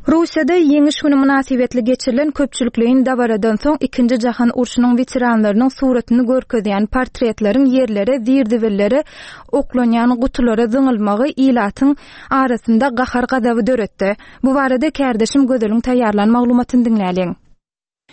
Russiýada Ýeňiş güni mynasybetli geçirilen köpçülikleýin dabaradan soň Ikinji jahan urşunyň weteranlarynyň suratyny görkezýän portretleriň ýerlere, zir-zibillere oklanýan gutulara zyňylmagy ilatyň arasynda gahar-gazaby döretdi. Bu barada kärdeşim Gözeliň taýýarlan maglumatyny diňläliň.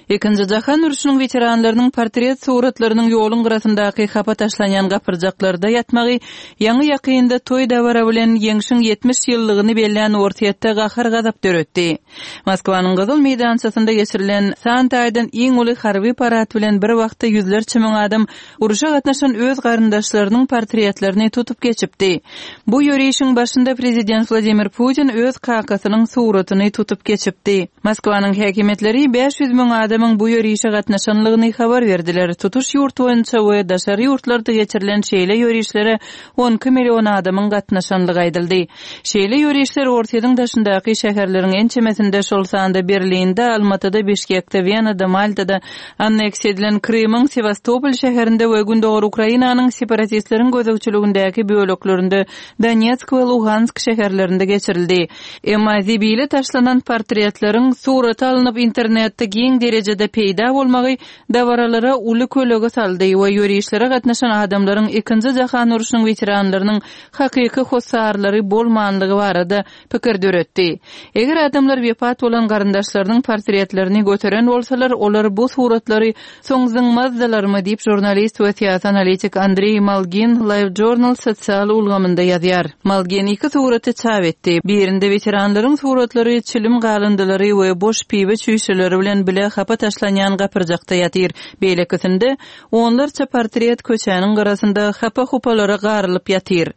Ikinji jahan urşunyň weteranlarynyň portret suratlarynyň ýoluň gyrasyndaky hapa taşlanýan gapyrjaklarda ýatmagy ýaňy-ýakynda toý-dabara bilen Ýeňşiň 70 ýyllygyny bellän Orsýetde gahar-gazap döretdi. Moskwanyň Gyzyl meýdançasynda geçirilen san taýdan iň uly harby parad bilen bir wagtda ýüzlerçe müň adam urşa gatnaşan öz garyndaşlarynyň portretlerini tutup geçipdi. Bu ýörişiň başynda prezident Wladimir Putin öz kakasynyň suratyny tutup geçipdi. Moskwanyň häkimiýetleri 500 müň adamyň bu ýörişe gatnaşanlygyny habar berdiler. Tutuş ýurt boýunça we daşary ýurtlarda geçirilen şeýle ýörişlere 12 million adamyň gatnaşanlygy aýdyldy. Şeýle ýörişler Orsýetiň daşyndaky şäherleriň ençemesinde, şol sanda Berlinde, Almatyda, Bişkekde, Wenada, Maltada, Anneksiýa edilen Krymyň Sewastopol şäherinde we gündogar Ukrainanyň separatistleriň gözegçiligindäki böleklerinde Donetsk we Luhansk şäherlerinde geçirildi. Emma zibile taşlanan portretleriň surata alnyp internetde giň derejede peýda bolmagy dabaralara uly kölege saldy we ýörişlere gatnaşan adamlaryň Ikinji jahan urşunyň weteranlarynyň hakyky hossarlary bolmanlygy barada pikir döretdi. Eger adamlar wepat bolan garyndaşlarynyň portretlerini göteren bolsalar, olar bu suratlary soň zyňmazdylarmy diýip, žurnalist we syýasy analitik Andreý Malgin LiveJournal sosial ulgamynda ýazýar. Malgin iki suraty çap etdi. Birinde weteranlaryň suratlary çilim galyndylary we boş piwe çüýşeleri bilen bile hapa taşlanýan gapyrjakda ýatyr. Beýlekisinde, onlarça portret köçäniň gyrasynda hapa-hupalara garylyp ýatyr.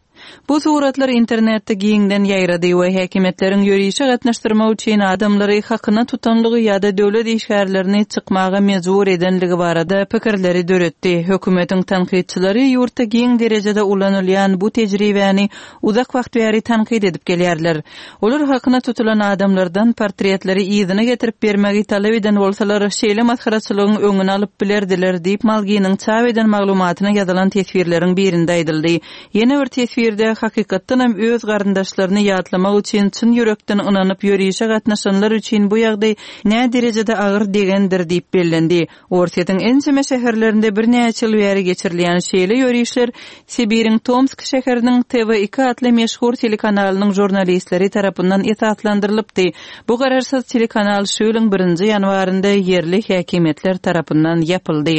Bu suratlar internetde giňden ýaýrady we häkimiýetleriň ýörişe gatnaşdyrmak üçin adamlary hakyna tutanlygy ýa-da döwlet işgärlerini çykmaga mejbur edenligi barada pikirleri döretdi. Hökümetiň tankytçylary ýurtda giň derejede ulanylýan bu tejribäni uzak wagt bäri tankyt edip gelýärler. Olar hakyna tutulan adamlardan portretleri yzyna getirip bermegi talap eden bolsalar, şeýle masgaraçylygyň öňüni alyp bilerdiler diýip, Malginiň çap eden maglumatyna ýazylan teswirleriň birinde aýdyldy. Ýene bir teswirde, hakykatdanam öz garyndaşlaryny ýatlamak üçin çyn ýürekden ynanyp ýörişe gatnaşanlar üçin bu ýagdaý näderejede agyr degendir diýip bellendi. Orsýetiň ençeme şäherlerinde birnäçe ýyl bäri geçirilýän şeýle ýörişler Sibiriň Tomsk şäheriniň TV iki atly meşhur telekanalynyň žurnalistleri tarapyndan esaslandyrylypdy. Bu garaşsyz telekanal şu ýylyň birinji ýanwarynda ýerli häkimiýetler tarapyndan ýapyldy.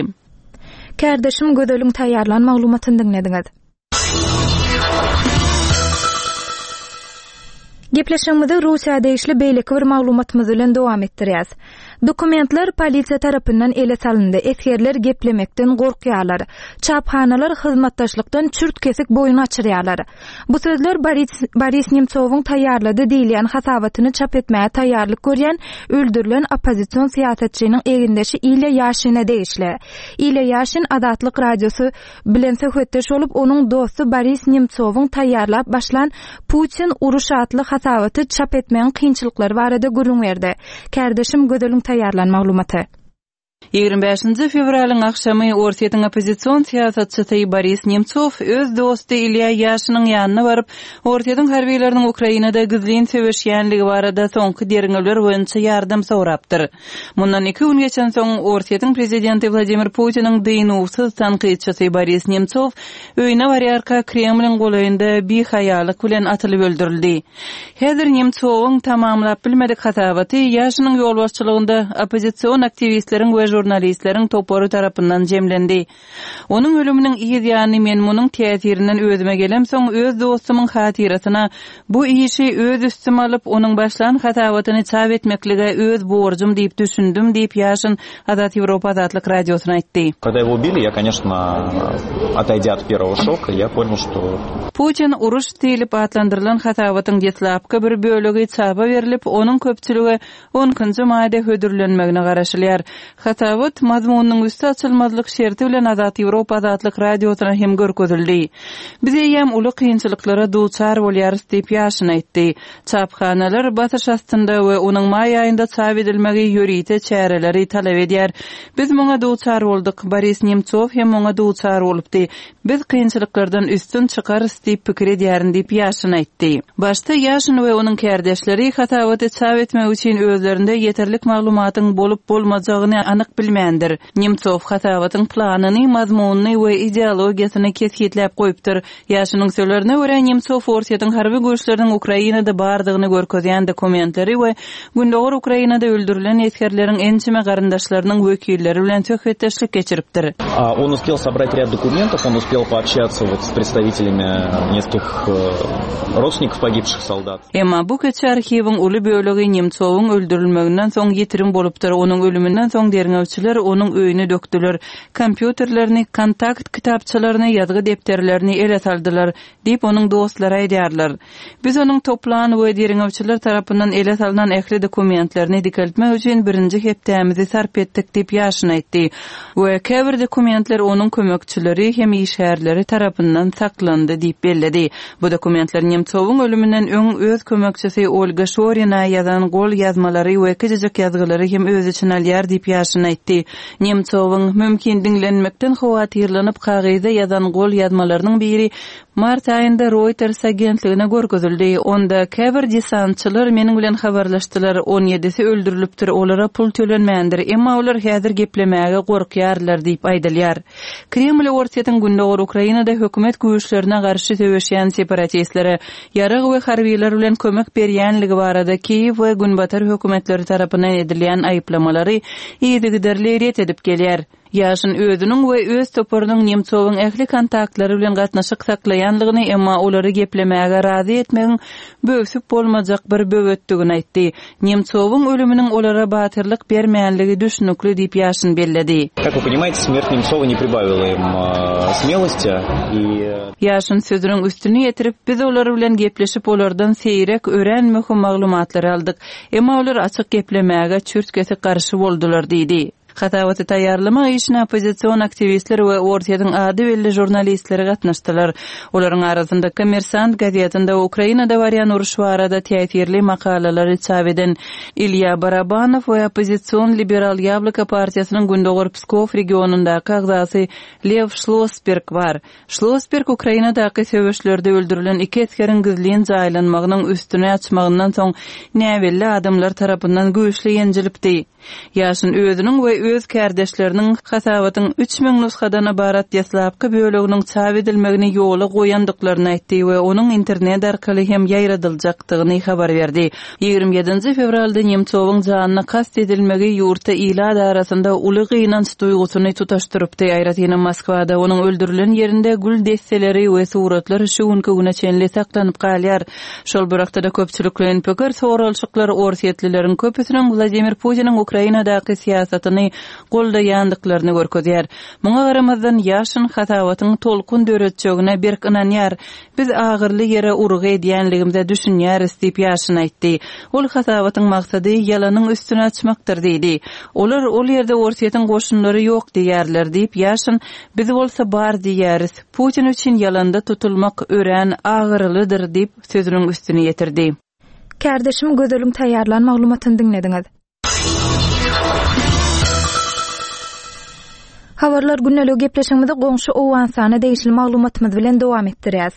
Kärdeşim Gözeliň taýýarlan maglumatyny diňlediňiz. Gepleşigimizi Russiýa degişli beýleki bir maglumatymyz bilen dowam etdirýäs. Dokumentler polisiýa tarapyndan ele salyndy, esgerler geplemekden gorkýarlar. Çaphanalar hyzmatdaşlykdan çürt-kesik boýun gaçyrýarlar. Bu sözler Boris Boris Nemtsowyň taýýarlady diýilýän hasabatyny çap etmäge taýýarlyk görýän öldürilen oppozision syýasatçynyň egindeşi Ilýa Ýaşine degişli. Ilýa Ýaşin Azatlyk Radiosy bilen söhbetdeş bolup, onuň dosty Boris Nemtsowyň taýýarlap başlan Putin, uruş atly hasabaty çap etmegiň kynçylyklary barada gürrüň berdi. Kärdeşim Gözeliň taýýarlan maglumaty. 25 fewralyň agşamy Orsýetiň oppozision syýasatçysy Boris Nemtsow öz dosty Ilýa Ýaşiniň ýanyna baryp, Orsýetiň harbylarynyň Ukrainada gizlin söweşýänligi barada soňky derňewler boýunça ýardam sorapdyr. Mundan iki gün geçensoň, Orsýetiň prezidenti Wladimir Putiniň dynuwsyz tankytçysy Boris Nemtsow öýüne barýarka Kremliň golaýynda bihaýalyk bilen atylyp öldürildi. Häzir Nemtsowyň tamamlap bilmedik hasabaty Ýaşiniň ýolbaşçylygynda oppozision aktiwistleriň we žurnalistleriň topary tarapyndan jemlendi. Onuň ölüminiň yz ýany men munuň täsirinden özüme gelemsoň, öz dostumyň hatyrasyna bu işi öz üstüme alyp, onuň başlan hasabatyny çap etmeklige öz borjum diýip düşündim diýip, Ýaşin Azat Ýewropa Azatlyk Radiosyna aýtdy. Когда его убили, я, конечно, отойдя от первого шока, я понял, что. Putin uruş diýlip atlandyrylan hasabatyň deslapky bir bölegi çapa berlip, onuň köpçülige on ikinji maýda hödürlenmegine garaşylýar. Hasabat, mazmunynyň üsti açylmazlyk şerti bilen Azat Ýewropa Azatlyk Radiosyna hem görkezildi. Biz eýýäm uly kynçylyklara duçar bolýarys diýip, Ýaşin aýtdy. Çaphanalar basyş astynda we onuň maý aýynda çap edilmegi ýörite çäreleri talap edýär. Biz muňa duçar bolduk. Boris Nemtsow hem muňa duçar bolupdy. Biz kynçylyklardan üstün çykarys diýip pikir edýärin diýip, Ýaşin aýtdy. Başda Ýaşin we onuň kärdeşleri hasabaty çap etmek üçin özlerinde ýeterlik maglumatyň bolup-bolmajagyny anyk bilmändir. Nemtsow hasabatyň planyny, mazmunyny we ideologiýasyny kesgitläp goýupdyr. Ýaşiniň sözlerine görä, Nemtsow Orsýetiň harby güýçleriniň Ukrainada bardygyny görkezýän dokumentleri we Gündogar Ukrainada öldürilen esgerleriň ençeme garyndaşlarynyň wekilleri bilen söhbetdeşlik geçiripdir. On uspel sobrать rýad dokumentov, on uspel poobşatsya wot s predstavitelimi neskilkih rodstvennikov pogibşih soldat. Emma bu kiçi arhiwiň uly bölegi Nemtsowyň öldürilmeginden soň ýitirim bolupdyr, onuň ölüminden soň derňewçiler onuň öýüni dökdüler, kompýuterlerini, kontakt kitapçalaryny, ýazgy depderlerini ele saldylar, diýip, onuň dostlary aýdýarlar. Biz onuň toplan we derňewçiler tarapyndan ele salnan ähli dokumentlerini dikeltmek üçin birinji hepdämizi sarp etdik diýip, Ýaşin aýtdy we käbir dokumentler onuň kömekçileri hem işgärleri tarapyndan saklandy diýip belledi. Bu dokumentler Nemtsowyň ölüminden öň öz kömekçisi Olga Şorina ýazan gol ýazmalary we kiçijik ýazgylary hem öz içine alýar diýip, Ýaşin aýtdy. Nemtsowyň, mümkin, diňlenmekden howatyrlanyp kagyzda ýazan gol ýazmalarynyň biri Mart aýynda Reuters agentligine görkezildi. Onda, Käbir desantçylar meniň bilen habarlaşdylar, on ýedisi öldürilipdir, olara pul tölenmändir, emma olar häzir geplemäge gorkýarlar diýip aýdylýar. Kreml Orsýetiň gündogar Ukrainada hökümet güýçlerine garşy söweşýän separatistlere ýarag we harbylar bilen kömek berýänligi barada Kiýew we günbatar hökümetleri tarapyndan edilýän aýyplamalary yzygiderli ret edip gelýär. Ýaşin özüniň we öz toparynyň Nemtsowyň ähli kontaktlary bilen gatnaşyk saklaýanlygyny, emma olary geplemäge razy etmegiň böwsüp bolmajak bir böwetdigini aýtdy. Nemtsowyň ölüminiň olara batyrlyk bermänligi düşnükli diýip Ýaşin belledi. Как вы понимаете, смерть Nemtsova не прибавила им смелости и. Ýaşin sözüniň üstüni ýetirip, Biz olar bilen gepleşip, olardan seýrek, örän möhüm maglumatlary aldyk. Emma olar açyk geplemäge çürt-kesik garşy boldular diýdi. Hasabaty taýýarlamak işine oppozision aktiwistler we Orsýetiň ady belli žurnalistleri gatnaşdylar. Olaryň arasynda Kommersant gazetinde Ukrainada barýan uruş barada täsirli makalalary çap eden Ilýa Barabanow we oppozision liberal Ýabloko partiýasynyň Gündogar Pskow regionyndaky agzasy Lew Şlosberg bar. Şlosberg Ukrainadaky söweşlerde öldürilen iki esgeriň gizlin jaýlanmagynyň üstüni açmagyndan soň näbelli adamlar tarapyndan güýçli ýenjilipdi. Ýaşin özüniň we öz kärdeşleriniň hasabatyň 3000 nusgadan ybarat deslapky böleginiň çap edilmegini ýola goýandyklaryny aýtdy we onuň internet arkaly hem ýaýradyljakdygyny habar berdi. 27-nji fewralda Nemtsowyň janyna kast edilmegi ýurtda ilat arasynda uly gynanç duýgusyny tutaşdyrypdy, aýratynam Moskwada onuň öldürilen ýerinde gül desseleri we suratlar şu günki güne çenli saklanyp galýar. Şol bir wagtda-da köpçülikleýin pikir soralyşyklar orsýetlileriň köpüsiniň Wladimir Putiniň Ukrainadaky syýasatyny goldaýandyklaryny görkezýär. Muňa garamazdan, Ýaşin hasabatyň tolkun döretjegine berk ynanýar. Biz agyrly ýere urgy edýänligimize düşünýäris diýip, Ýaşin aýtdy. Ol hasabatyň maksady ýalanyň üstüni açmakdyr diýdi. Olar ol ýerde Orsýetiň goşunlary ýok diýýärler diýip, Ýaşin, biz bolsa bar diýýäris. Putin üçin ýalanda tutulmak örän agyrylydyr diýip, sözüniň üstüni ýetirdi. Kärdeşim Gözeliň taýýarlan maglumatyny diňlediňiz. Habarlar gündeligi gepleşigimizi goňşy Owganystana degişli maglumatymyz bilen dowam etdirýäs.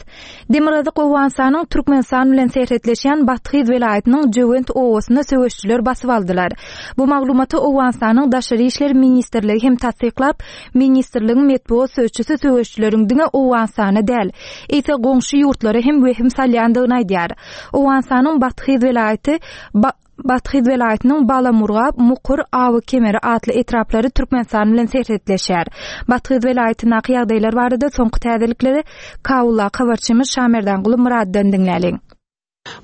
Demirgazyk Owganystanyň Türkmenistan bilen serhetleşýän Bathyz welaýatynyň Jöwent obasyny söweşijiler basyp aldylar. Bu maglumaty Owganystanyň Daşary işler ministrligi hem tassyklap, Ministrligiň metbugat sözçüsi söweşijileriň diňe Owganystana däl, eýse goňşy ýurtlara hem wehim salýandygyny aýdýar. Owganystanyň Bathyz welaýaty Bathyz welaýatynyň Balamurgap, Mukur, Awy kemeri atly etraplary Türkmenistan bilen serhetleşýär. Bathyz welaýatyndaky ýagdaýlar barada soňky täzelikleri Kabuldaky habarçymyz Şamerdanguly Myratdan diňläliň.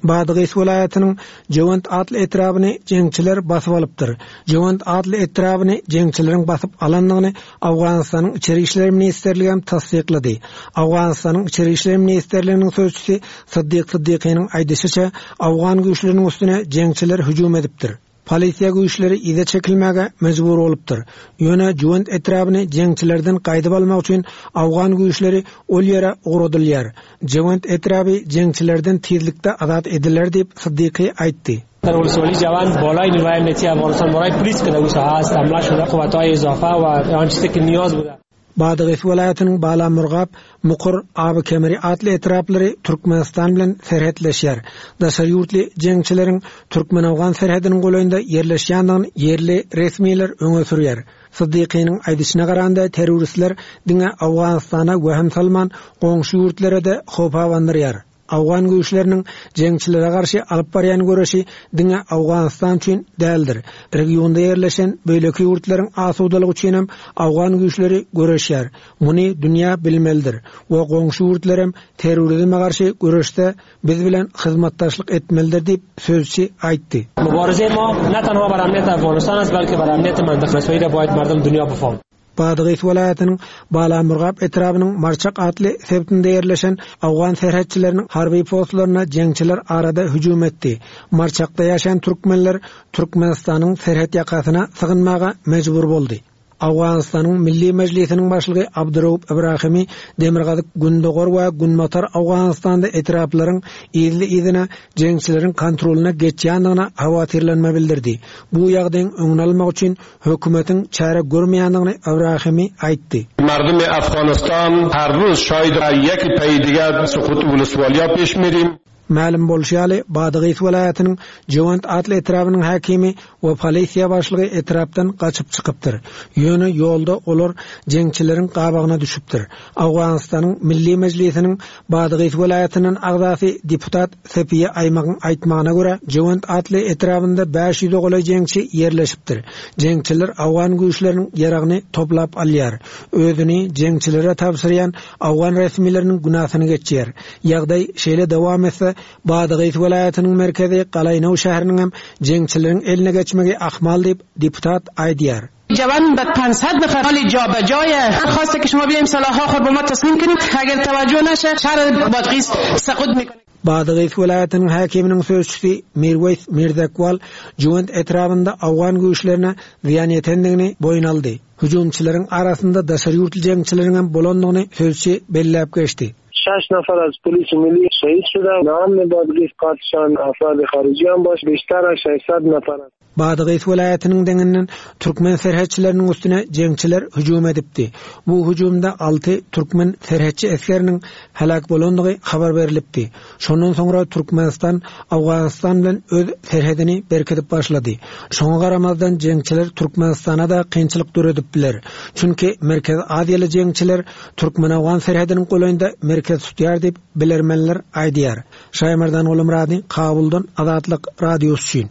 Badgys welaýatynyň Jöwent atly etrabyny jeňçiler basyp alypdyr. Jöwent atly etrabyny jeňçileriň basyp alandygyny Owganystanyň Içeri işler ministrligi hem tassyklady. Owganystanyň Içeri işler ministrliginiň sözçüsi Syddyk Syddykynyň aýdyşyça, owgan güýçleriniň üstüne jeňçiler hüjüm edipdir. Polisiýa güýçleri yza çekilmäge mejbur bolupdyr. Ýöne Juwent etrabyny jeňçilerden gaýdyp almak üçin awgan güýçleri ol ýere ugradylýar. Jewent etraby jeňçilerden tizlikde azat ediler diýip, Siddiqi aýtdy. در ولسوالی جوان بالای نیروهای امنیتی افغانستان بالای پلیس که در او ساحه است حمله شده قوتهای اضافه و آن چیزی که نیاز بوده. Badagys welaýatynyň Balamurgap, Mukur, Abykemri atly etraplary Türkmenistan bilen serhetleşýär. Daşary ýurtly jeňçileriň türkmen-owgan serhediniň golaýynda ýerleşýändigini ýerli resmiler öňe sürýär. Siddiqiniň aýdyşyna garanda, terroristler diňe Owganystana wehim salman, goňşy ýurtlara-da howp abandyrýar. Owgan güýçleriniň jeňçilere garşy alyp barýan göreşi diňe Owganystan üçin däldir. Regionda ýerleşen beýleki ýurtlaryň asudalygy üçinem owgan güýçleri göreşýär. Muny dünýä bilmelidir we goňşy ýurtlarem terrorizme garşy göreşde biz bilen hyzmatdaşlyk etmelidir diýip, sözçi aýtdy. مبارزه ما نه تنها بر امنیت افغانستان است بلکه بر امنیت منطقه مسایی را باید مردم دنیا بفهم. Badagys welaýatynyň Balamurgap etrabynyň Marçak atly sebitinde ýerleşen owgan serhetçileriniň harby postlaryna jeňçiler arada hüjüm etdi. Marçakda ýaşaýan türkmenler Türkmenistanyň serhet ýakasyna sygynmaga mejbur boldy. Owganystanyň Milli Mejlisiniň başlygy Abduraup Ibrahimi demirgazyk, gündogar we günbatar Owganystanda etraplaryň yzly-yzyna jeňçileriň kontrolyna geçýändigine howatyrlanma bildirdi. Bu ýagdaýyň öňüni almak üçin hökümetiň çäre görmeýändigini Ibrahimi aýtdy. مردم افغانستان هر روز شاید یک پی دیگر سقوط ولسوالیا پیش میریم. Mälim bolşy ýaly, Badagys welaýatynyň Jewent atly etrabynyň häkimi we polisiýa başlygy etrapdan gaçyp çykypdyr. Ýöne ýolda olar jeňçileriň gabagyna düşüpdir. Owganystanyň Milli Mejlisiniň Badagys welaýatyndan agzasy deputat Sepiýe Aýmagyň aýtmagyna görä, Jewent atly etrabynda 500-e golaý jeňçi ýerleşipdir. Jeňçiler owgan güýçleriniň ýaragyny toplap alýar. Özüni jeňçilere tabşyrýan owgan resmileriniň günäsini geçýär. Ýagdaý şeýle dowam etse, Badagys welaýatynyň merkezi Galaýnow şäheriniňem jeňçileriň eline geçmegi ahmal diýip, deputat aýdýar. جوان به 500 نفر حال جابجای خواسته که شما بیایم سلاح‌ها خود به ما تسلیم کنید اگر توجه نشه شهر بادغیس سقوط میکنه Badagys welaýatynyň häkiminiň sözçüsi Mirweýs Mirzekwal Juwent etrabynda owgan güýçlerine zyýan ýetendigini boýun aldy. Hüjümçileriň arasynda daşary ýurtly jeňçileriňem bolandygyny sözçi belläp geçdi. شش نفر از پلیس ملی شهید شده نام بادغیس قتلشان افراد خارجی هم باش بیشتر از 600 نفر است. Badagys welaýatynyň deňinden türkmen serhetçileriniň üstüne jeňçiler hüjüm edipdi. Bu hüjümde alty türkmen serhetçi esgeriniň heläk bolandygy habar berlipdi. Şondan soňra Türkmenistan Owganystan bilen öz serhedini berkidip başlady. Şoňa garamazdan jeňçiler Türkmenistana-da kynçylyk döredip biler. Çünki Merkezi Aziýaly jeňçiler türkmen-owgan serhediniň golaýynda merkez tutýar diýip, bilermenler aýdýar. Şaýmerdan Gulumyrady, Kabuldan Azatlyk Radiosy üçin.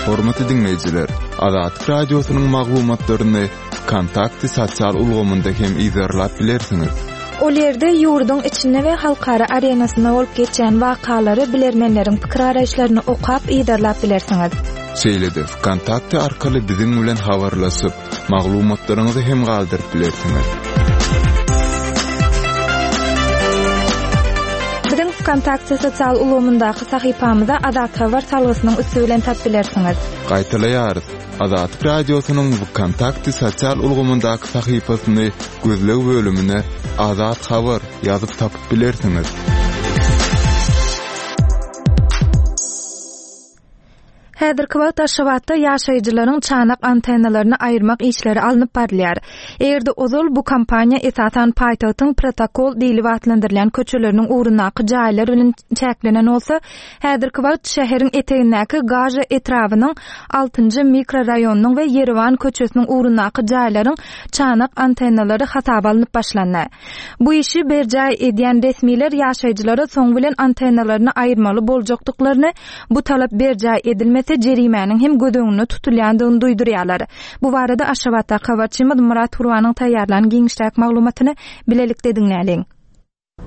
Hormatly diňleýjiler, Azatlyk Radiosynyň maglumatlaryny Wkontakte sosial ulgamynda hem yzarlap bilersiňiz. Ol ýerde ýurduň içinde we halkara arenasynda bolup geçýän wakalary, bilermenleriň pikir-garaýyşlaryny okap, yzarlap bilersiňiz. Şeýle-de Wkontakte arkaly biziň bilen habarlaşyp, maglumatlaryňyzy hem galdyryp bilersiňiz. Biziň Wkontakte sosial ulgamyndaky sahypamyza Azat Habar salgysynyň üsti bilen tap bilersiňiz. Gaýtalaýarys, Azatlyk Radiosynyň Wkontakte sosial ulgamyndaky sahypasyny gözleg bölümine Azat Habar ýazyp tapyp bilersiňiz. Häzirki wagt Aşgabatda ýaşaýjylaryň çanak antennalaryny aýyrmak işleri alnyp barylýar. Eger-de ozal bu kampaniýa esasan paýtagtyň protokol diýlip atlandyrylýan köçeleriniň ugrundaky jaýlar bilen çäklenen bolsa, häzirki wagt şäheriň etegindäki Gaža etrabynyň altynjy mikroraýonynyň we Ýerewan köçesiniň ugrundaky jaýlaryň çanak antennalary hasaba alnyp başlandy. Bu işi berjaý edýän resmiler ýaşaýjylara soň bilen antennalaryny aýyrmaly boljakdyklaryny, bu talap berjaý edilmese jerimäniň hem göz öňünde tutulýandygyny duýdurýarlar. Bu barada Aşgabatdaky habarçymyz Myrat Gurbanyň taýýarlan giňişräk maglumatyny bilelikde diňläliň.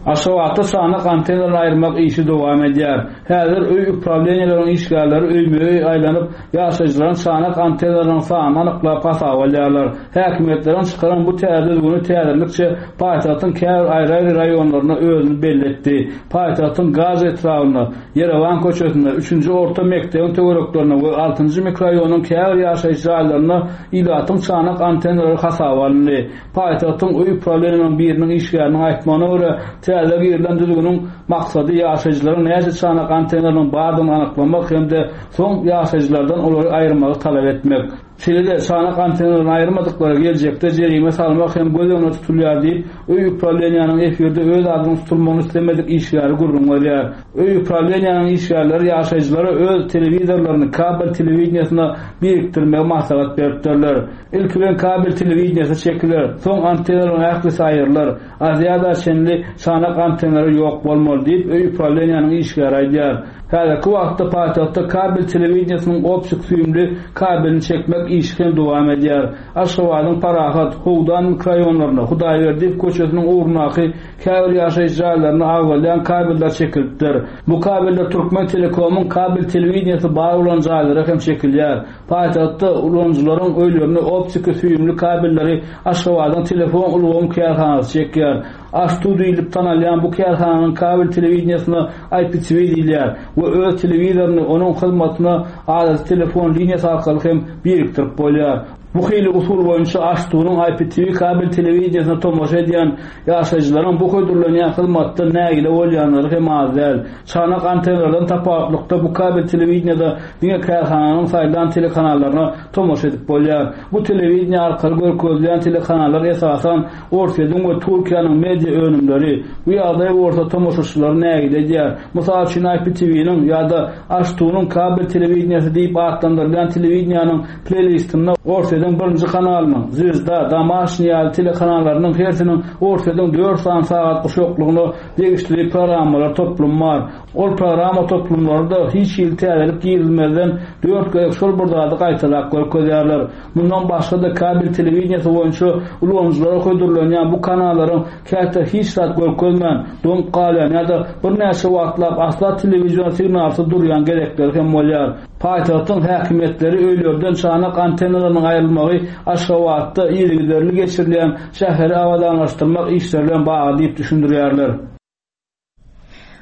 Aşgabatda çanak antennalary aýyrmak işi dowam edýär. Häzir öý uprawleniýeleriň işgärleri öýme-öý aýlanyp, ýaşaýjylaryň çanak antennalarynyň sanyny anyklap hasaba alýarlar. Häkimiýetleriň çykaran bu täze düzgüni täzelikçe paýtagtyň käbir aýry-aýry raýonlarynda özüni belli etdi. Paýtagtyň Gazy etrabynda, Ýerewan köçesinde, üçünji orta mekdebiň töwereklerinde we altynjy mikroraýonyň käbir ýaşaýyş jaýlarynda ilatyň çanak antennalary hasaba alyndy. Paýtagtyň öý uprawleniýasynyň biriniň işgäriniň aýtmagyna görä, täze girilen düzgüniň maksady ýaşaýjylaryň näçe çanak antennalarynyň bardygyny anyklamak hem-de soň ýaşaýjylardan olary aýyrmagy talap etmek. Şeýle-de, çanak antennalaryny aýyrmadyklara geljekde jerime salmak hem göz öňünde tutulýar diýip, öý uprawleniýanyň efirde öz adynyň tutulmagyny islemedik işgäri gürrüň berýär. Öý uprawleniýanyň işgärleri ýaşaýjylara öz telewizorlaryny kabel telewideniýesine birikdirmegi maslahat beripdirler. Ilki bilen kabel telewideniýesi çekiler, soň antennalaryň ählisi aýrylar. Aziada çenli çanak antennalary ýok bolmaly diýip, öý uprawleniýanyň işgäri aýdýar. Häzirki wagtda paýtagtda kabel telewideniýesiniň optik süýümli kabelini çekmek işi hem dowam edýär. Aşgabadyň Parahat, Howdan mikroraýonlarynda, Hudaýberdiýew köçesiniň ugrundaky käbir ýaşaýyş jaýlarynda agzalýan kabeller çekilipdir. Bu kabeller Türkmentelekomyň kabel telewideniýesi bar bolan jaýlara hem çekilýär. Paýtagtda ulanyjylaryň öýlerine optiki süýümli kabelleri Aşgabadyň telefon ulgam kärhanasy çekýär. AŞTU diýlip tanalýan bu kärhananyň kabel telewideniýesine IPTV diýilýär we öz telewizoryny onuň hyzmatyna adaty telefon liniýasy arkaly hem birikdirip bolýar. Bu hili usul boýunça AŞTU-nyň IPTV kabel telewideniýesine tomaşa edýän ýaşaýjylaryň bu hödürlenýän hyzmatdan nägile bolýanlary hem az däl. Çanak antennalardan tapawutlykda bu kabel telewideniýede diňe kärhananyň saýlan telekanallaryna tomaşa edip bolýar. Bu telewideniýe arkaly görkezilýän telekanallar esasan Orsýetiň we Türkiýäniň media önümleri. Bu ýagdaý bolsa tomaşaçylary nägile edýär. Mysal üçin IPTV-niň ýa-da AŞTU-nyň kabel telewideniýesi diýip atlandyrylýan telewideniýäniň pleýlistinde Orsýetiň birinji kanalynyň, Zwezda, Domaşniý ýaly telekanallarynyň hersiniň Orsýetiň dört sany sagat guşaklygyna degişli programmalar toplumy bar. Ol programma toplumlary-da hiç hili täzelik girizmezden dört gezek şol bir zady gaýtalap görkezýärler. Mundan başga-da kabel telewideniýesi boýunça ulanyjylara hödürlenýän bu kanallaryň käte hiç zat görkezmän, doňup galýan ýa-da birnäçe wagtlap asla telewizion signalsyz durýan gezekleri hem bolýar. Paýtagtyň häkimiýetleri öýlerden çanak antennalarynyň aýrylmagy Aşgabatda yzygiderli geçirilýän şäheri abadanlaşdyrmak işleri bilen bagly diýip düşündirýärler.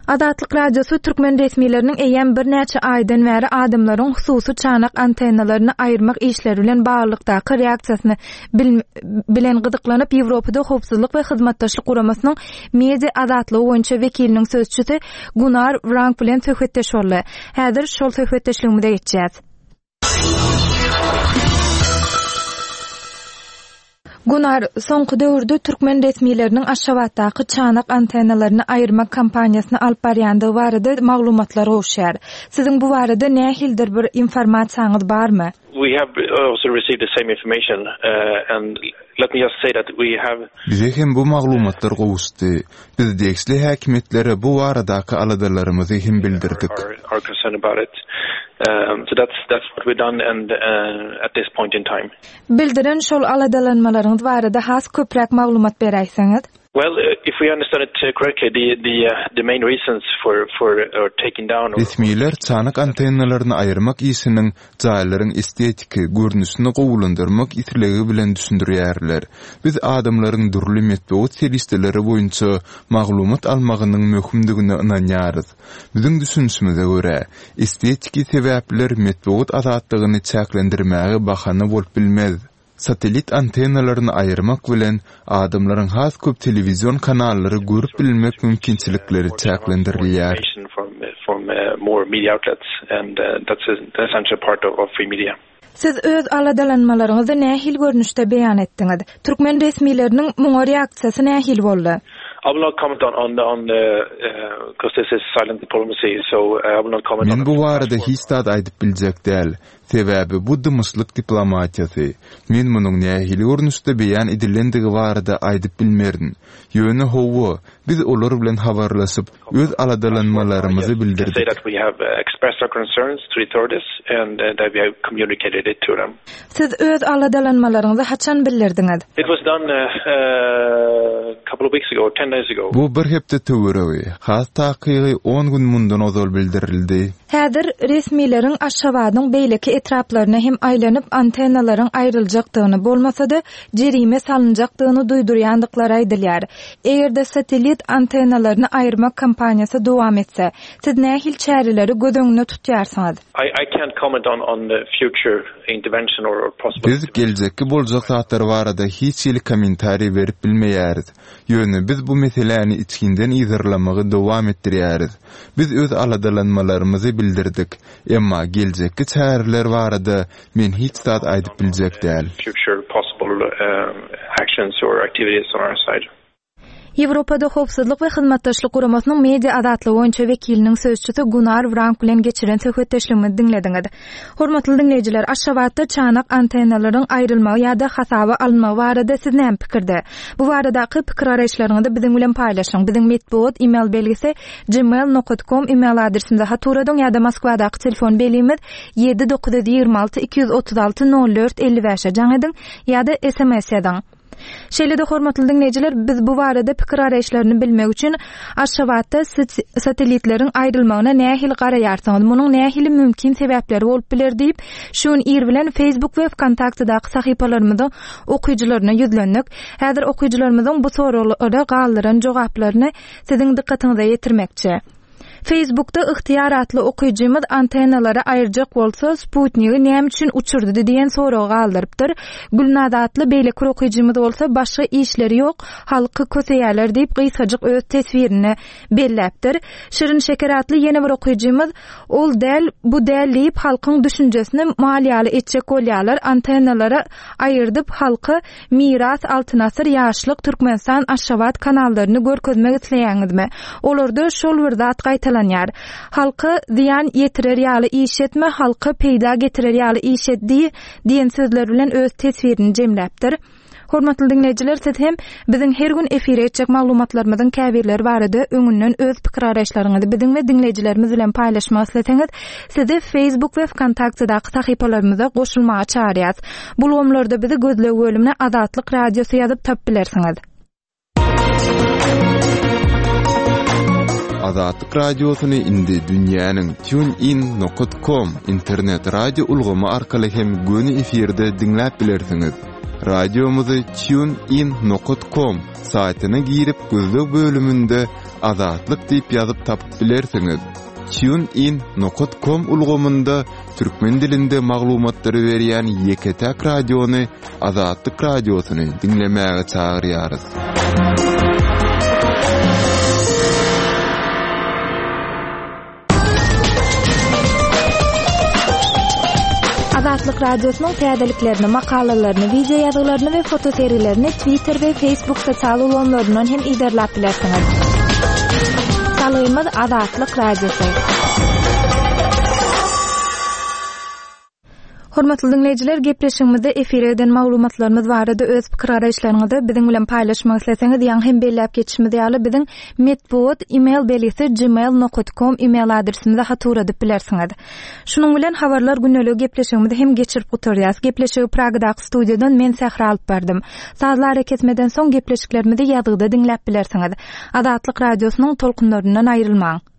Azatlyk Radiosy türkmen resmileriniň eýýäm birnäçe aýdan bäri adamlaryň hususy çanak antennalaryny aýyrmak işleri bilen baglylykdaky reaksiýasyny bilen gyzyklanyp, Ýewropada Howpsuzlyk we Hyzmatdaşlyk Guramasynyň media azatlygy boýunça wekiliniň sözçüsi Gunar Wrank bilen söhbetdeş boldy. Häzir şol söhbetdeşligimize geçýäs. Gunar, soňky döwürde türkmen resmileriniň Aşgabatdaky çanak antennalaryny aýyrmak kampaniýasyny alyp barýandygy barada maglumatlar gowuşýar. Siziň bu barada nähilidir bir informasiýaňyz barmy? We have also received the same information and let me just say that we have. Bize hem bu maglumatlar gowuşdy. Biz degişli häkimiýetlere bu baradaky aladalarymyzy hem bildirdik. Bildiren şol aladalanmalaryňyz barada has köpräk maglumat beräýseňiz? Resmiler çanak antennalaryny aýyrmak işiniň jaýlaryň estetiki görnüşini gowulandyrmak islegi bilen düşündirýärler. Biz adamlaryň dürli metbugat serişdeleri boýunça maglumat almagynyň möhümdigine ynanýarys. Biziň düşünişimize görä, estetiki sebäpler metbugat azatlygyny çäklendirmäge bahana bolup bilmez. Satellit antennalaryny aýyrmak bilen, adamlaryň has köp telewizion kanallary görüp bilmek mümkinçilikleri çäklendirilýär. Siz öz aladalanmalaryňyzy nähili görnüşde beýan etdiňiz? Türkmen resmileriniň muňa reaksiýasy nähili boldy? Men bu barada hiç zat aýdyp biljek däl. Sebäbi bu dymyşlyk diplomatiýasy. Men munuň nähili görnüşde beýan edilendigi barada aýdyp bilmerin. Ýöne hawa, Biz olar bilen habarlaşyp, öz aladalanmalarymyzy bildirdik. Siz öz aladalanmalaryňyzy haçan bildirdiňiz? Bu bir hepde töweregi, has takygy on gün mundan ozal bildirildi. Häzir resmileriň Aşgabadyň beýleki etraplaryna hem aýlanyp antennalaryň aýryljakdygyny, bolmasa-da jerime salynjakdygyny duýdurýandyklary aýdylýar. Eger-de satellit antennalaryny aýyrmak kampaniýasy dowam etse, siz nähili çäreleri göz öňünde tutýarsyňyz? Biz geljekki boljak zatlar barada hiç hili kommentariý berip bilmeýäris. Ýöne biz bu meseläni içginden yzarlamagy dowam etdirýäris. Biz öz aladalanmalarymyzy bildirdik. Emma geljekki çäreler barada men hiç zat aýdyp biljek däl. Ýewropada Howpsuzlyk we Hyzmatdaşlyk Guramasynyň media azatlygy boýunça wekiliniň sözçüsi Gunar Wrank bilen geçiren söhbetdeşligimizi diňlediňiz. Hormatly diňleýjiler, Aşgabatda çanak antennalaryň aýrylmagy ýa-da hasaba alynmagy barada siz näme pikirde? Bu baradaky pikir-garaýyşlaryňyzy biziň bilen paýlaşyň. Biziň metbugat email belgisi gmail nokat kom email adresimize hat ugradyň ýa-da Moskwadaky telefon belgimiz 7 926 236 04 55-e jaň ediň ýa-da sms ýazyň. Şeýle-de hormatly diňleýjiler, biz bu barada pikir-garaýyşlaryny bilmek üçin Aşgabatda satellitleriň aýrylmagyna nähili garaýarsyňyz, munuň nähili mümkin sebäpleri bolup biler diýip, şu gün ir bilen Facebook we Wkontaktedaky sahypalarymyzyň okyjylaryna ýüzlendik. Häzir okyjylarymyzyň bu soraglara galdyran jogaplaryny siziň dykgatyňyza ýetirmekçi. Facebookda Ygtyýar atly okyjymyz antennalary aýyrjak bolsa, sputnigi näme üçin uçurdy diýen soragy galdyrypdyr. Gülnaz atly beýleki bir okyjymyz bolsa başga işleri ýok, halky köseýärler diýip gysgajyk öz teswirinde belläpdir. Şirin Şeker atly ýene bir okyjymyz Ol däl, bu däl diýip halkyň düşünjesini mal ýaly etjek bolýarlar, antennalary aýyrdyp halka Miras, Altyn asyr, Ýaşlyk, Türkmenistan, Aşgabat kanallaryny görkezmek isleýäňizmi? Olarda şol bir zat gaýtalanýar. Halka zyýan ýetirer ýaly iş etme, halka peýda getirer ýaly iş et diý diýen sözler bilen öz teswirini jemläpdir. Hormatly diňleýjiler, siz hem biziň her gün efire etjek maglumatlarymyzyň käbirleri barada öňünden öz pikir-garaýyşlaryňyzy biziň we diňleýjilerimiz bilen paýlaşmak isleseňiz, Sizi Facebook we Wkontaktedaky sahypalarymyza goşulmaga çagyrýas. Bu ulgamlarda bizi gözleg bölümine Azatlyk Radiosy ýazyp tapyp bilersiňiz. Azatlyk Radiosyny indi dünýäniň TuneIn nokat com internet radio ulgamy arkaly hem göni efirde diňläp bilersiňiz. Radiomyzy TuneIn nokat com saýtyna girip gözleg bölüminde Azatlyk diýip ýazyp tapyp bilersiňiz. TuneIn nokat com ulgamynda türkmen dilinde maglumatlary berýän ýeke-täk radiony Azatlyk Radiosyny diňlemäge çagyrýarys. Azatlyk Radiosynyň täzeliklerini, makalalaryny, wideo ýazgylaryny we fotosergilerini Twitter we Facebook sosial ulgamlaryndan hem yzarlap bilersiňiz. Salgymyz Azatlyk Radiosy. Hormatly diňleýjiler, gepleşigimizde efire eden maglumatlarymyz barada öz pikir-garaýyşlaryňyzy biziň bilen paýlaşmak isleseňiz, ýaňy hem belläp geçişimiz ýaly, biziň metbugat email belgisi gmail nokat kom email adresimize hat ugradyp bilersiňiz. Şunuň bilen Habarlar gündeligi gepleşigimizi hem geçirip gutarýas. Gepleşigi Pragadaky studiýadan men Sähra alyp bardym. Sazly arakesmeden soň gepleşiklerimizi ýazgyda diňläp bilersiňiz. Azatlyk Radiosynyň tolkunlaryndan aýrylmaň!